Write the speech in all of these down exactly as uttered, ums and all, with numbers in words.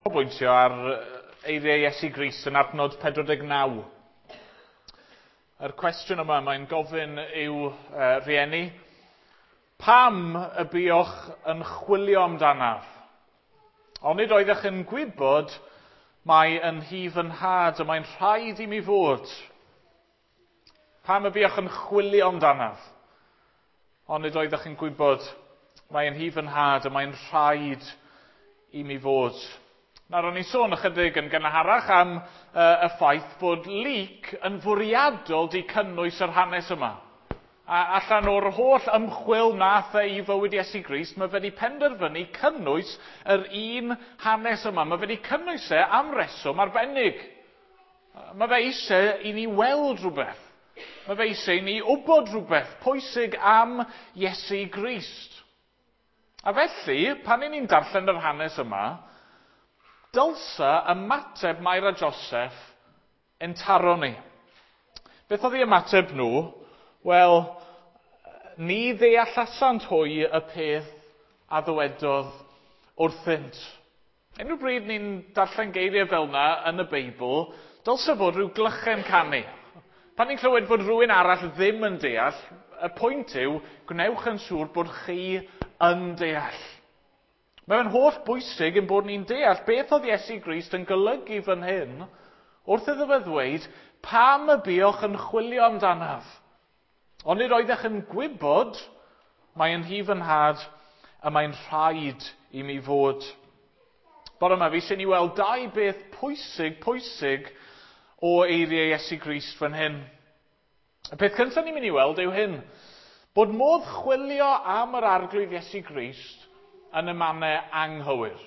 Canolbwyntio ar eiriau Iesu Grist yn adnod pedwar deg naw. Yr cwestiwn yma mae'n gofyn i'w uh, rhieni, pam y buoch yn chwilio amdanaf? Onid oeddech yn gwybod mai yn nhŷ fy nhad y mae'n rhaid i mi fod? Pam y buoch yn chwilio amdanaf? Onid oeddech yn gwybod mai yn nhŷ fy nhad y mae'n rhaid i mi fod? Nawr, o'n i'n sôn ychydig yn gynharach am uh, y ffaith bod Luc yn fwriadol di cynnwys yr hanes yma. A allan o'r holl ymchwil nath e i fywyd Iesu Grist, mae fe wedi penderfynu cynnwys yr un hanes yma. Mae fe wedi cynnwys e am reswm arbennig. Mae fe eisiau i ni weld rhywbeth. Mae fe eisiau i ni wybod rhywbeth pwysig am Iesu Grist. A felly, pan i ni'n darllen yr hanes yma, dylsa ymateb Mair a Joseph yn taro ni. Beth oedd ei ymateb nhw? Wel, ni ddeallasant hwy y peth a ddywedodd wrthynt. Unrhyw bryd ni'n darllen geiriau fel yna yn y Beibl, dylsa fod rhyw glychen canu. Pan ni'n clywed bod rhywun arall ddim yn deall, y pwynt yw, gwnewch yn siŵr bod chi yn deall. Mae'n holl bwysig yn bod ni'n deall beth oedd Iesu Grist yn golygu fan hyn wrth iddo fe ddweud, pam y buoch yn chwilio amdanaf? Onid oeddech yn gwybod mai yn nhŷ fy nhad y mae'n rhaid i mi fod. Bore yma, fi sy'n i weld dau beth pwysig, pwysig o eiriau Iesu Grist fan hyn. Y peth cyntaf ni'n mynd i weld yw hyn, bod modd chwilio am yr Arglwydd Iesu Grist yn y mannau anghywir.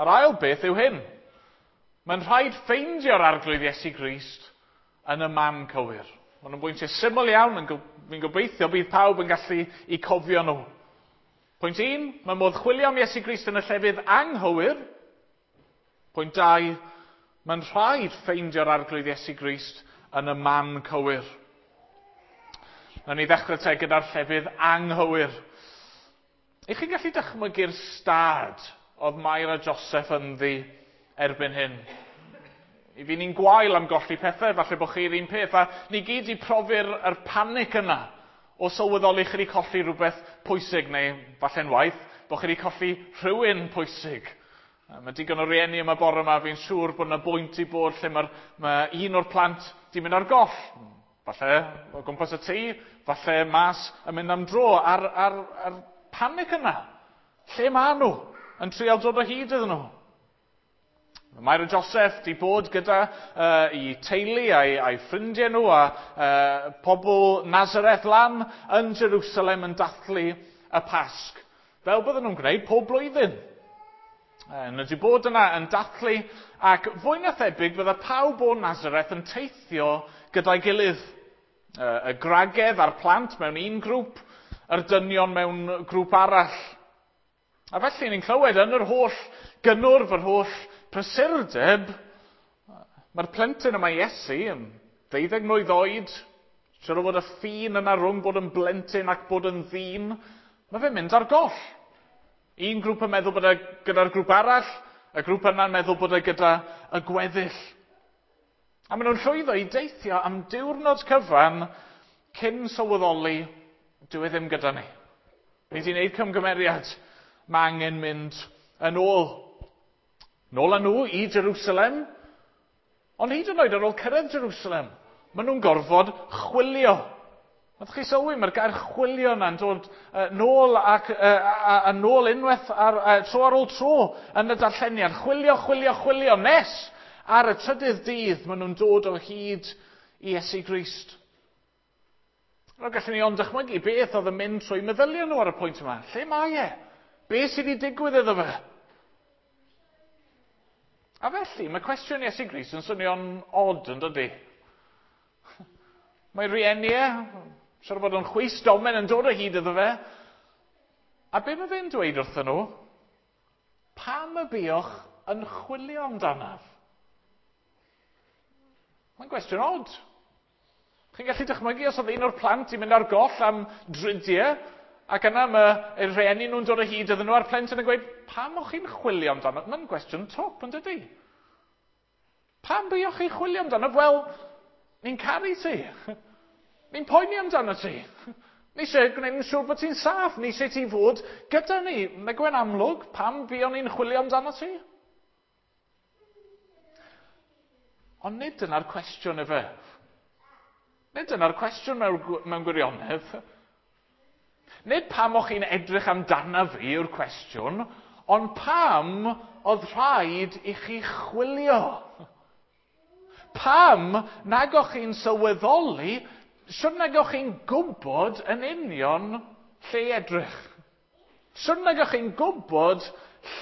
A'r ail beth yw hyn. Mae'n rhaid ffeindio'r Arglwydd Iesu Grist yn y man cywir. Maen nhw'n bwyntiau syml iawn, yn fi'n gobeithio bydd pawb yn gallu i cofio nhw. Pwynt un, mae modd chwilio am Iesu Grist yn y llefydd anghywir. Pwynt dau, mae'n rhaid ffeindio'r Arglwydd Iesu Grist yn y man cywir. Nawn ni ddechrau te gyda'r llefydd anghywir. Ych chi'n gallu dychmygu'r stad oedd Mair a Joseph ynddi erbyn hyn? I fi ni'n gwael am golli pethau, falle bod chi'r un peth, a ni gyd i profi'r yr panic yna o sylweddoli chi wedi colli rhywbeth pwysig, neu falle'n waith, bod chi wedi colli rhywun pwysig. Mae digon o rieni yma bore yma, fi'n siŵr bod yna bwynt i bod lle mae'r, mae un o'r plant di mynd ar goll. Falle o gwmpas y tŷ, falle mas yn mynd am dro, a'r, ar, ar panic yna. Lle maen nhw? Yn trial dod o hyd iddyn nhw. Mair a Joseph di bod gyda uh, i teulu a'i, a'i ffrindiau nhw a uh, pobl Nazareth lan yn Jerusalem yn dathlu y Pasg. Fel bydden nhw'n gwneud pob blwyddyn. Nhw wedi bod yna yn dathlu ac fwy na thebyg bydde pawb o Nazareth yn teithio gyda'i gilydd. Uh, y gwragedd a'r plant mewn un grŵp, yr dynion mewn grŵp arall. A felly ni'n clywed yn yr holl gynnwrf, yr holl prysurdeb, mae'r plentyn yma Iesu yn ddeuddeg mlwydd oed, siŵr o fod y ffin yna rhwng bod yn blentyn ac bod yn ddyn, mae fe'n mynd ar goll. Un grŵp yn meddwl bod e gyda'r grŵp arall, y grŵp yna'n meddwl bod e gyda y gweddill. A maen nhw'n llwyddo i deithio am diwrnod cyfan cyn sylweddoli, dyw e ddim gyda ni. Ni wedi gwneud cymgymeriad, mae angen mynd yn ôl. Nôl â nhw i Jerusalem, ond hyd yn oed ar ôl cyrraedd Jerusalem, maen nhw'n gorfod chwilio. Nath chi sylwi, mae'r gair chwilio yna'n dod uh, nôl ac uh, a, a nôl unwaith ar, uh, tro ar ôl tro yn y darlleniad. Chwilio, chwilio, chwilio, nes ar y trydydd dydd maen nhw'n dod o hyd i Iesu Grist. Nawr gallwn ni ond dychmygu beth oedd yn mynd trwy meddyliau nhw ar y pwynt yma. Lle mae e? Be sydd wedi digwydd iddo fe? A felly, mae cwestiwn Iesu Grist yn swnio'n od yn dydi? Mae rieni e, siŵr bod o'n chwys domen yn dod o hyd iddo fe. A be mae fe'n dweud wrthyn nhw? Pam y buoch yn chwilio amdanaf? Mae'n gwestiwn od. Chi'n gallu dychmygu os oedd un o'r plant i mynd ar goll am dridiau, Ac yna mae rhieni nhw'n dod o hyd iddyn nhw a'r plentyn yn gweud, pam o'ch chi'n chwilio amdano? Mae'n gwestiwn twp, yn dydy? Pam buoch chi'n chwilio amdano? Wel, ni'n caru ti. Ni'n poeni amdano ti. Ni eisiau gwneud yn siŵr bod ti'n saff. Ni eisiau ti fod gyda ni. Mae gwen amlwg, pam buon ni'n chwilio amdano ti? Ond nid dyna'r cwestiwn efe. Nid dyna'r cwestiwn mewn, mewn gwirionedd. Nid pam o'ch chi'n edrych amdana fi yw'r cwestiwn, ond pam oedd rhaid i chi chwilio? Pam nag o'ch chi'n sylweddoli, shwt nag o'ch chi'n gwybod yn union lle i edrych? Shwt nag o'ch chi'n gwybod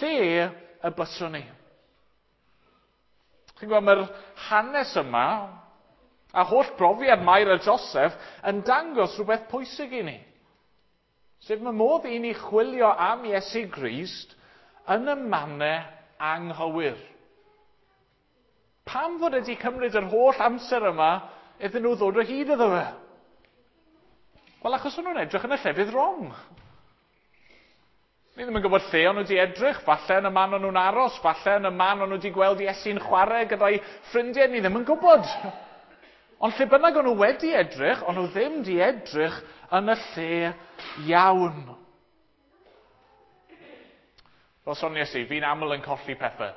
lle y byswn ni? Chi'n gweld, mae'r hanes yma, a holl brofiad Mair a Joseph, yn dangos rhywbeth pwysig i ni. Sef mae modd i ni chwilio am Iesu Grist yn y mannau anghywir. Pam fod wedi cymryd yr holl amser yma iddyn nhw ddod o hyd iddo fe? Wel, achos o'n nhw'n edrych yn y llefydd wrong. Ni ddim yn gwybod lle o'n nhw wedi edrych, falle yn y man o'n nhw'n aros, falle yn y man o'n nhw wedi gweld Iesu'n chwarae gyda'i ffrindiau, ni ddim yn gwybod. Ond lle bynnag o'n nhw wedi edrych, o'n nhw ddim wedi edrych yn y lle iawn. Fel soniais i, fi'n aml yn colli pethau.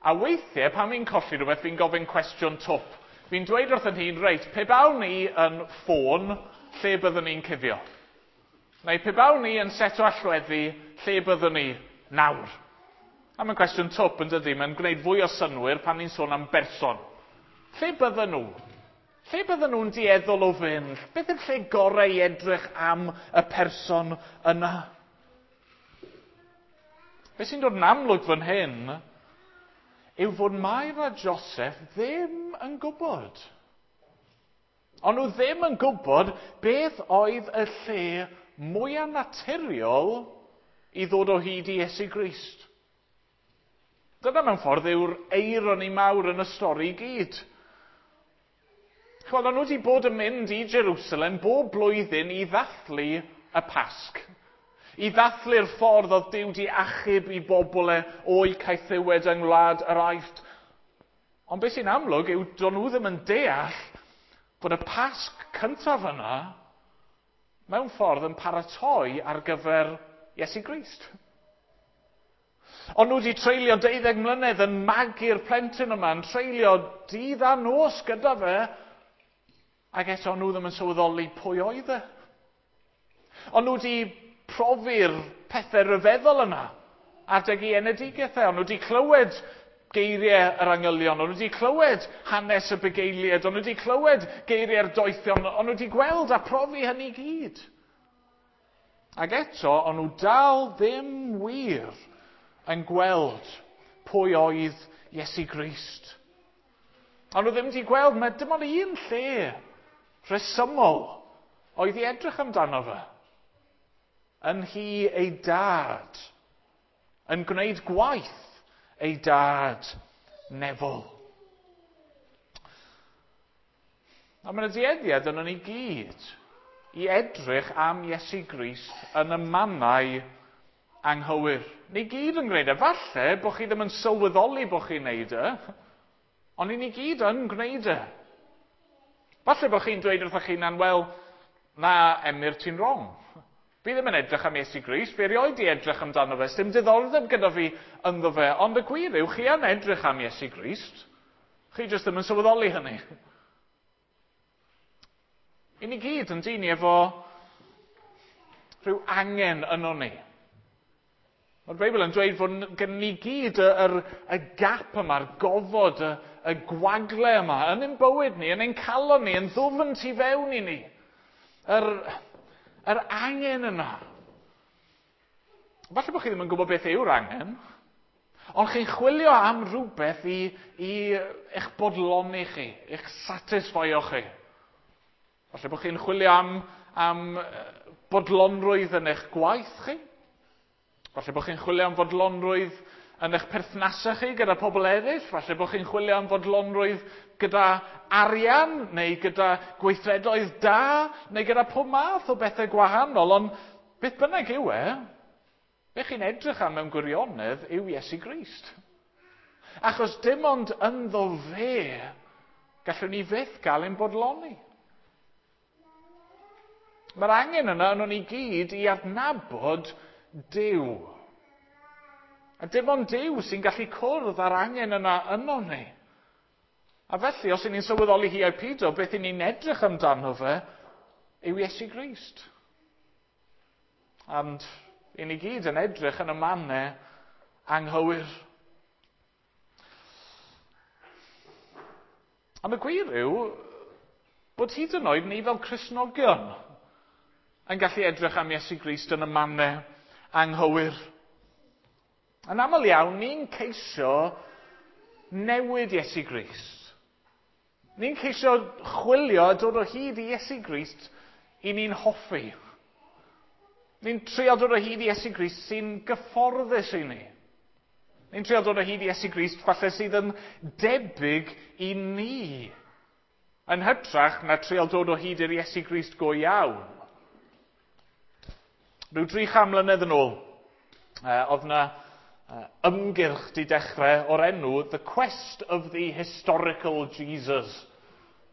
A weithiau, pan fi'n colli rhywbeth, fi'n gofyn cwestiwn twp. Fi'n dweud wrth yn hun, reit, pe bawn ni yn ffôn, lle byddwn ni'n cuddio? Neu pe bawn ni yn set o allweddi, lle byddwn ni nawr? A mae'n cwestiwn twp yn dydy, mae'n gwneud fwy o synnwyr pan ni'n sôn am berson. Lle bydden nhw? Lle bydden nhw'n dueddol o fynd? Beth yw'r lle gorau i edrych am y person yna? Beth sy'n dod yn amlwg fan hyn yw fod Mair a Joseph ddim yn gwybod. Ond nhw ddim yn gwybod beth oedd y lle mwyaf naturiol i ddod o hyd i Iesu Grist. Dyna mewn ffordd yw'r eironi mawr yn y stori i gyd. Chwel, o'n nhw wedi bod yn mynd i Jerusalem bob blwyddyn i ddathlu y Pasg. I ddathlu'r ffordd oedd Duw di achub i bobl e o'i caethiwed yng ngwlad yr Aifft. Ond beth sy'n amlwg yw do'n nhw ddim yn deall bod y Pasg cyntaf yna mewn ffordd yn paratoi ar gyfer Iesu Grist. Ond nhw wedi treulio deuddeg mlynedd yn magu'r plentyn yma, yn treulio dydd a nos gyda fe, ac eto nhw ddim yn sylweddoli pwy oedd e. Ond nhw wedi profi'r pethau rhyfeddol yna adeg i enedigaeth e. Ond nhw wedi clywed geiriau yr angylion, ond nhw wedi clywed hanes y bugeiliaid, ond nhw wedi clywed geiriau'r doethion, ond nhw wedi gweld a profi hynny gyd. Ac eto, ond nhw dal ddim wir yn gweld pwy oedd Iesu Grist. Ond nhw ddim wedi gweld, mae dim ond un lle rhesymol oedd i edrych amdano fe. Yn hi ei dad, yn gwneud gwaith ei dad nefol. A mae'n dueddiad yno ni gyd i edrych am Iesu Grist yn y mannau anghywir. Ni gyd yn gwneud e. Falle bod chi ddim yn sylweddoli bod chi'n gwneud e, ond ni gyd yn gwneud e. Falle bod chi'n dweud wrthych chi'n wel, na, Emyr, ti'n wrong. Fi ddim yn edrych am Iesu Grist, fi erioed di edrych amdano fe, sdim diddordeb gyda fi ynddo fe, ond y gwir yw, chi yn edrych am Iesu Grist. Chi jyst ddim yn sylweddoli hynny. I ni gyd yn dyn ni efo rhyw angen yno ni. Mae'r Beibl yn dweud fod gen ni gyd y, y, y gap yma'r gofod, y, y gwagle yma, yn ein bywyd ni, yn ein calon ni, yn ddwfn tu fewn i ni. Yr, yr angen yna. Falle bod chi ddim yn gwybod beth yw'r angen, ond chi'n chwilio am rhywbeth i, i eich bodloni chi, eich satisfio chi. Falle bod chi'n chwilio am, am bodlonrwydd yn eich gwaith chi. Falle bod chi'n chwilio am fodlonrwydd yn eich perthnasau chi gyda pobl eraill. Falle bod chi'n chwilio am fodlonrwydd gyda arian, neu gyda gweithredoedd da, neu gyda pob math o bethau gwahanol. Ond Beth bynnag yw e, be chi'n edrych am mewn gwirionedd yw Iesu Grist. Achos dim ond ynddo fe gallwn ni fyth gael ein bodloni. Mae'r angen yna yno ni gyd i adnabod Duw. A dim ond Duw sy'n gallu cwrdd â'r angen yna yno ni. A felly, os y'n ni'n sylweddoli hi ai pido, beth y'n ni'n edrych amdano fe yw Iesu Grist. And i ni gyd yn edrych yn y mannau anghywir. Am y gwir yw bod hyd yn oed ni fel Cristnogion yn gallu edrych am Iesu Grist yn y mannau anghywir. Yn aml iawn, ni'n ceisio newid Iesu Grist. Ni'n ceisio chwilio a dod o hyd i Iesu Grist i ni'n hoffi. Ni'n trio dod o hyd i Iesu Grist sy'n gyfforddus i ni. Ni'n trio dod o hyd i Iesu Grist falle sydd yn debyg i ni. Yn hytrach na trio dod o hyd i'r Iesu Grist go iawn. Rhyw dri chan mlynedd yn ôl, uh, oedd yna uh, ymgyrch di dechrau o'r enw The Quest of the Historical Jesus.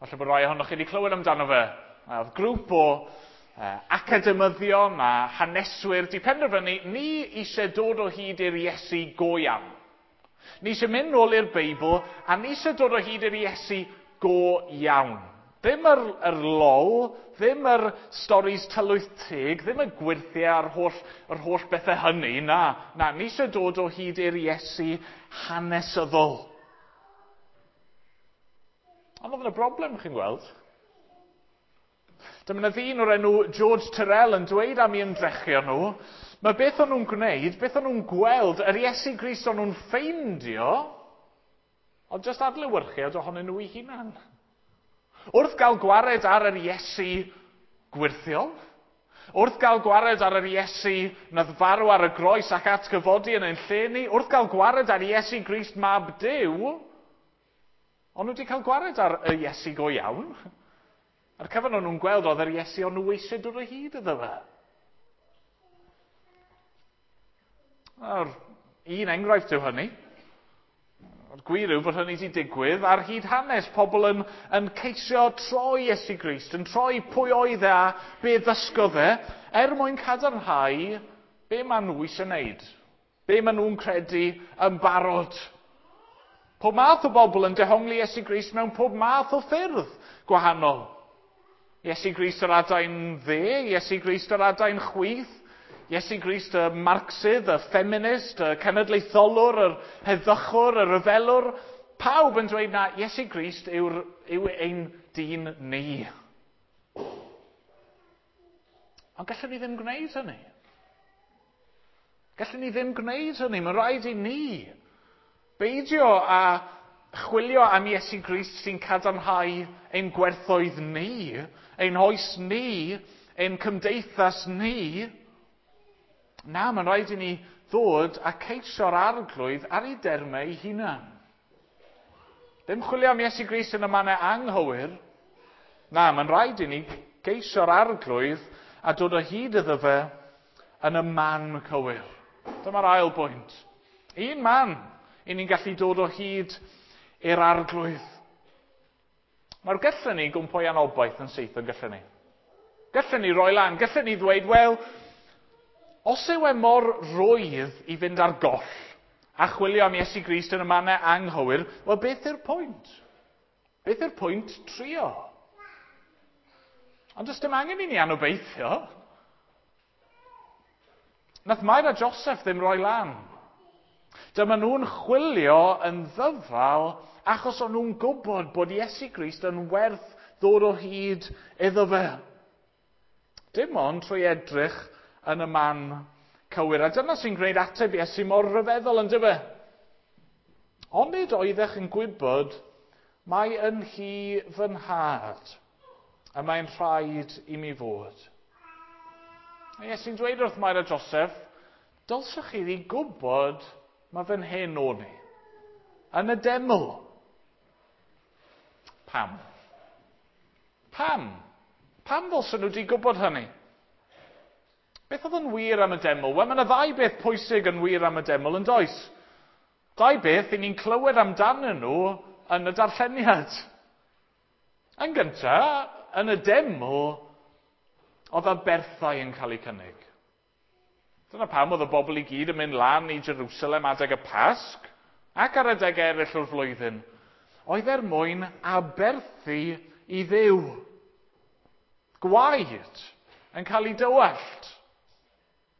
Falle bod rai ohonoch chi wedi clywed amdano fe. Oedd grŵp o uh, academyddion a haneswyr di penderfynu ni eisiau dod o hyd i'r Iesu go iawn. Ni eisiau mynd nôl i'r Beibl a ni eisiau dod o hyd i'r Iesu go iawn. Ddim yr, yr lol, ddim yr storis tylwyth teg, ddim y gwyrthiau a'r holl, yr holl bethau hynny, na. Na, ni eisiau dod o hyd i'r Iesu hanesyddol. Ond oedd yna broblem, chi'n gweld. Dyma yna ddyn o'r enw George Tyrrell yn dweud am ei ymdrechion nhw, mae beth o'n nhw'n gwneud, beth o'n nhw'n gweld, yr Iesu Grist o'n nhw'n ffeindio, ond jyst adlewyrchiad ohonyn nhw eu hunan. Wrth gael gwared ar yr Iesu gwyrthiol, wrth gael gwared ar yr Iesu nath farw ar y groes ac atgyfodi yn ein lle ni, wrth gael gwared ar Iesu Grist mab Duw, ond nhw wedi cael gwared ar y Iesu go iawn. A'r cyfan o'n nhw'n gweld oedd yr Iesu o'n nhw eisiau dod o hyd iddo fe. A'r un enghraifft yw hynny. A'r gwir yw fod hynny wedi digwydd ar hyd hanes. Pobl yn, yn ceisio troi Iesu Grist, yn troi pwy oedd e a be ddysgodd e, er mwyn cadarnhau be maen nhw eisiau wneud. Be maen nhw'n credu yn barod. Pob math o bobl yn dehongli Iesu Grist mewn pob math o ffyrdd gwahanol. Iesu Grist yr adain dde, Iesu Grist yr adain chwith, Iesu Grist y Marxydd, y feminist, y cenedlaetholwr, yr heddychwr, y rhyfelwr. Pawb yn dweud na Iesu Grist yw'r, yw ein dyn ni. Ond gallwn ni ddim gwneud hynny. Gallwn ni ddim gwneud hynny. Mae'n rhaid i ni beidio a chwilio am Iesu Grist sy'n cadarnhau ein gwerthoedd ni, ein hoes ni, ein cymdeithas ni. Na, mae'n rhaid i ni ddod a ceisio'r arglwydd ar ei dermau ei hunan. Ddim chwilio am Iesu Grist yn y mannau anghywir. Na, mae'n rhaid i ni geisio'r arglwydd a dod o hyd iddo fe yn y man cywir. Dyma'r ail bwynt. Un man i ni'n gallu dod o hyd i'r arglwydd. Nawr, gallwn ni gwmpo i anobaith yn syth yn gallwn ni. Gallwn ni roi lan, gallwn ni ddweud, wel, os yw e mor rwydd i fynd ar goll a chwilio am Iesu Grist yn y mannau anghywir, wel, beth yw'r pwynt? Beth yw'r pwynt trio? Ond does dim angen i ni anobeithio. Nath Mair a Joseph ddim roi lan. Dyma nhw'n chwilio yn ddyfal achos o'n nhw'n gwybod bod Iesu Grist yn werth ddod o hyd iddo fe. Dim ond trwy edrych yn y man cywir. A dyna sy'n gwneud ateb Iesu mor rhyfeddol, yn dyfe? Onid oeddech yn gwybod mai yn hi fy nhad, a mae'n rhaid i mi fod. A Iesu'n dweud wrth Mair a Joseph, dylsech chi ddi gwybod mae fan hyn o'n i. Yn y deml. Pam? Pam? Pam ddylsen nhw wedi gwybod hynny? Beth oedd yn wir am y deml? Wel, mae yna ddau beth pwysig yn wir am y deml yn does? Dau beth i ni'n clywed amdanyn nhw yn y darlleniad. Yn gyntaf, yn y deml, oedd aberthau yn cael eu cynnig. Dyna pam oedd y bobl i gyd yn mynd lan i Jerusalem adeg y Pasg ac ar adeg eraill o'r flwyddyn. Oedd er mwyn aberthu i Dduw. Gwaed yn cael ei dywallt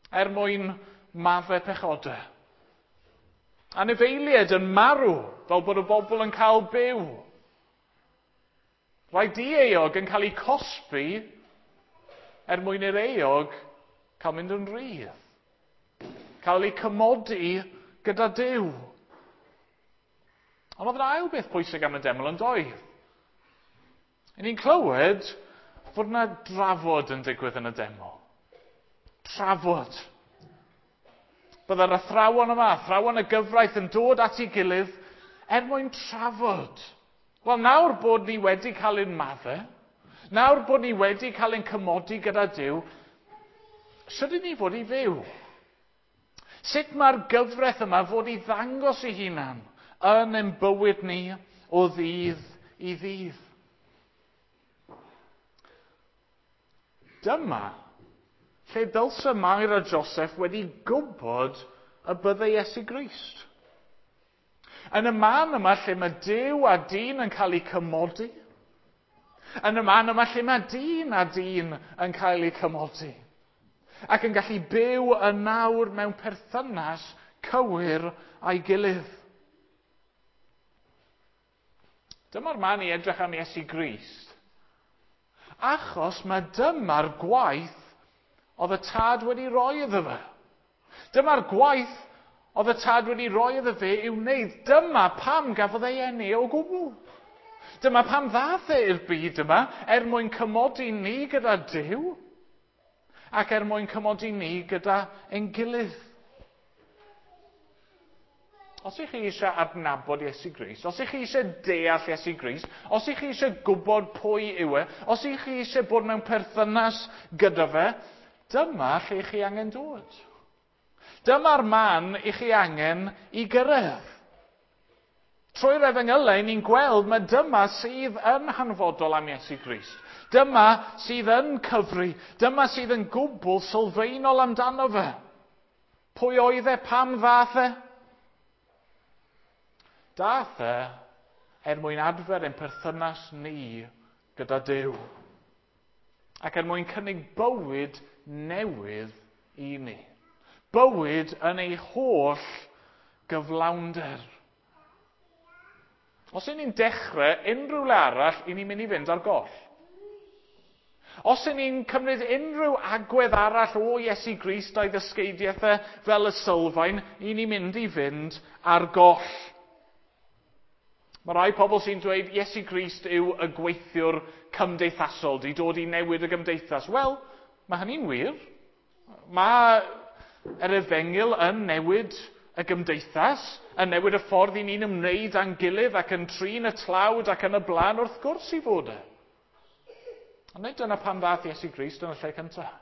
er mwyn maddau pechodau. Anifeiliaid yn marw fel bod y bobl yn cael byw. Rhai dieuog yn cael eu cosbi er mwyn i'r euog cael mynd yn rhydd. Cael eu cymodi gyda Duw. Ond oedd yna ail beth pwysig am y deml yn doedd. I ni'n clywed fod yna drafod yn digwydd yn y deml. Trafod. Byddai'r athrawon yma, athrawon y gyfraith yn dod at ei gilydd er mwyn trafod. Wel, nawr bod ni wedi cael ein maddau, nawr bod ni wedi cael ein cymodi gyda Duw, sut ydyn ni fod i fyw? Sut mae'r gyfraith yma fod i ddangos ei hunan yn ein bywyd ni o ddydd i ddydd? Dyma lle dylse Mair a Joseph wedi gwybod y byddai Iesu Grist. Yn y man yma lle mae Duw a dyn yn cael eu cymodi. Yn y man yma lle mae dyn a dyn yn cael eu cymodi. Ac yn gallu byw yn nawr mewn perthynas cywir a'i gilydd. Dyma'r man i edrych am Iesu Grist. Achos mae dyma'r gwaith oedd y tad wedi roi iddo fe. Dyma'r gwaith oedd y tad wedi roi iddo fe i'w wneud. Dyma pam gafodd ei eni o gwbl. Dyma pam ddaeth e i'r byd yma er mwyn cymodi ni gyda Duw ac er mwyn cymodi ni gyda ein gilydd. Os ych chi eisiau adnabod Iesu Grist, os ych chi eisiau deall Iesu Grist, os ych chi eisiau gwybod pwy yw e, os ych chi eisiau bod mewn perthynas gyda fe, dyma lle chi angen dod. Dyma'r man i chi angen i gyrraedd. Trwy'r efengylau, ni'n gweld mae dyma sydd yn hanfodol am Iesu Grist. Dyma sydd yn cyfri. Dyma sydd yn gwbl sylfaenol amdano fe. Pwy oedd e? Pam ddaeth e? Daeth e er mwyn adfer ein perthynas ni gyda Duw. Ac er mwyn cynnig bywyd newydd i ni. Bywyd yn ei holl gyflawnder. Os y'n ni'n dechrau unrhyw le arall, i ni'n mynd i fynd ar goll. Os y'n ni'n cymryd unrhyw agwedd arall o Iesu Grist a'i ddysgeidiaeth e fel y sylfaen, i ni'n mynd i fynd ar goll. Mae rai pobl sy'n dweud Iesu Grist yw y gweithiwr cymdeithasol, di dod i newid y gymdeithas. Wel, mae hynny'n wir. Mae yr efengyl yn newid y gymdeithas, yn newid y ffordd i ni'n ymwneud â'n gilydd ac yn trin y tlawd ac yn y blaen, wrth gwrs i fod e. Ond nid dyna pam ddaeth Iesu Grist yn y lle cyntaf.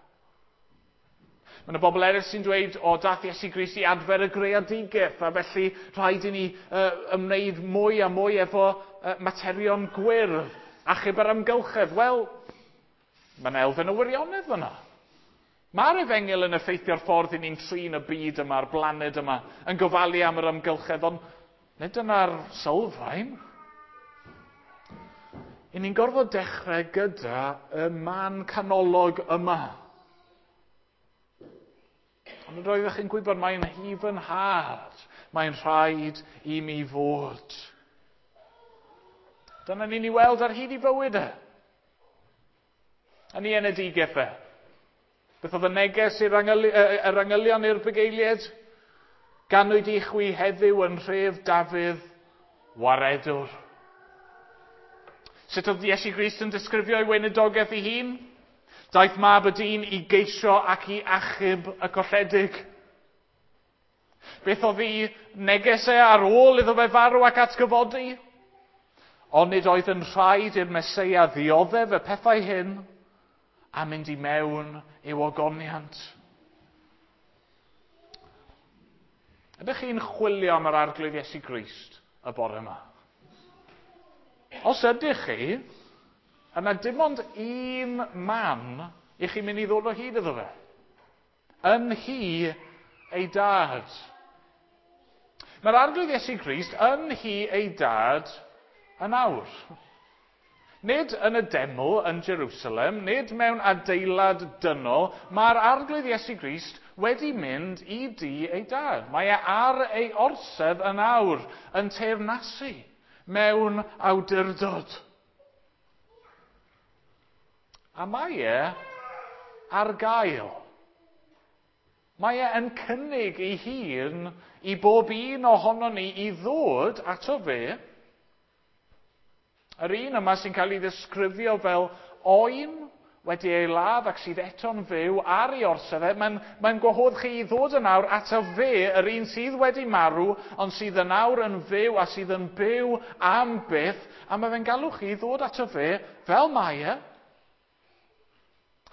Mae yna bobl eraill sy'n dweud, o, dath Iesu Grist i adfer y greadigaeth, a felly rhaid i ni uh, ymwneud mwy a mwy efo uh, materion gwyrdd, achub yr amgylchedd. Wel, mae yna elfen o wirionedd fyna. Mae'r efengyl yn effeithio'r ffordd i ni'n trin y byd yma, a'r blaned yma, yn gofalu am yr amgylchedd, ond nid dyna'r sylfaen. I ni'n gorfod dechrau gyda y man canolog yma. Ond roeddech chi'n gwybod mae'n nhŷ fy nhad, mae'n rhaid i mi fod. Dyna ni'n ei weld ar hyd i fywyd e. Yn ei enedigaeth e. Beth oedd y neges i'r yr angylion i'r bugeiliaid? Ganwyd i chwi heddiw yn nhref Dafydd waredwr. Sut oedd Iesu Grist yn disgrifio ei weinidogaeth ei hun? Daeth mab y dyn i geisio ac i achub y colledig. Beth oedd ei neges e ar ôl iddo fe farw ac atgyfodi? Ond nid oedd yn rhaid i'r Meseia ddioddef y pethau hyn a mynd i mewn i'w ogoniant. Ydych chi'n chwilio am yr Arglwydd Iesu Grist y bore yma? Os ydych chi, yna dim ond un man i chi mynd i ddod o hyd iddo fe. Yn nhŷ ei dad. Mae'r Arglwydd Iesu Grist yn nhŷ ei dad yn awr. Nid yn y deml yn Jerusalem, nid mewn adeilad dynol, mae'r Arglwydd Iesu Grist wedi mynd i dŷ ei dad. Mae e ar ei orsedd yn awr, yn teyrnasu mewn awdurdod. A mae e ar gael. Mae e yn cynnig ei hun i bob un ohonon ni i ddod ato fe. Yr un yma sy'n cael ei ddisgrifio fel oen wedi ei ladd ac sydd eto'n fyw ar ei orsedd e, mae'n mae gwahodd chi i ddod yn awr ato fe, yr un sydd wedi marw, ond sydd yn awr yn fyw a sydd yn byw am byth, a mae fe'n galw chi i ddod ato fe fel mae e,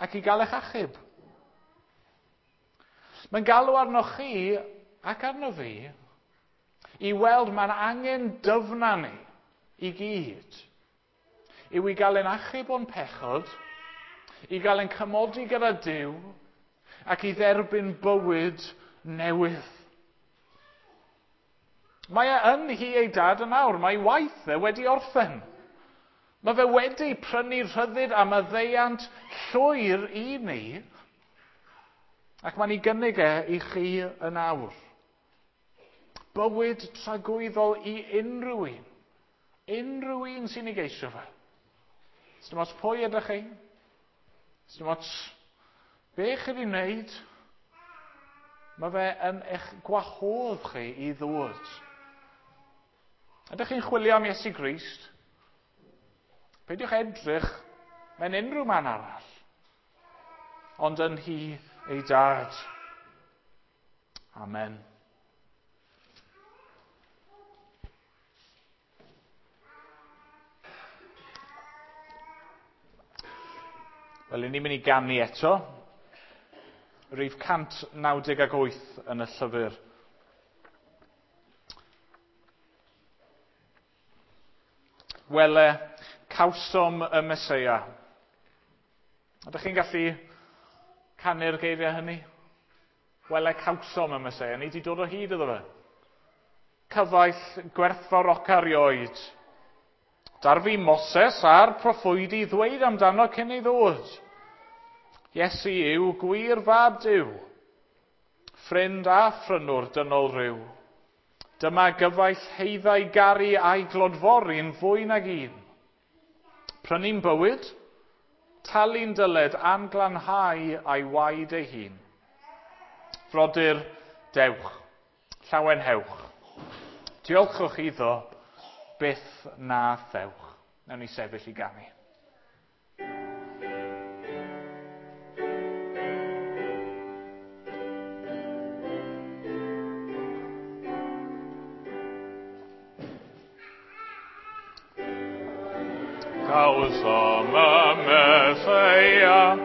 ac i gael eich achub. Mae'n galw arnoch chi ac arno fi i weld mae'n angen dyfna ni i gyd, yw i gael ein achub o'n pechod, i gael ein cymodi gyda Duw, ac i dderbyn bywyd newydd. Mae e yn nhŷ ei dad yn awr, mae waith e wedi orffen. Mae fe wedi prynu rhyddid a maddeuant llwyr i ni, ac mae'n ei gynnig e i chi yn awr. Bywyd tragwyddol i unrhyw un. Unrhyw un sy'n ei geisio fe. Sdim ots pwy ydych chi? Sdim ots be chi wedi wneud? Mae fe yn eich gwahodd chi i ddod. Ydych chi'n chwilio am Iesu Grist? Peidiwch edrych mewn unrhyw man arall, ond yn nhŷ ei dad. Amen. Wel, ni'n mynd i ganu eto. Rhif cant naw deg wyth yn y llyfr. Wele, cawsom y Meseia. Ydych chi'n gallu canu'r geiriau hynny? Wele, cawsom y Meseia. Ni wedi dod o hyd iddo fe. Cyfaill gwerthfawroca erioed. Darfu Moses a'r proffwydi ddweud amdano cyn ei ddod. Iesu yw gwir fab Duw, ffrind a phrynwr dynol rhyw. Dyma gyfaill heiddau garu a'i glodfori'n fwy nag un. Prynu'n bywyd, talu'n dyled a'n glanhau a'i waed ei hun. Frodyr, dewch, llawenhewch. Diolchwch iddo, byth na thewch. Nawn ni sefyll i ganu. Cawsom y Meseia,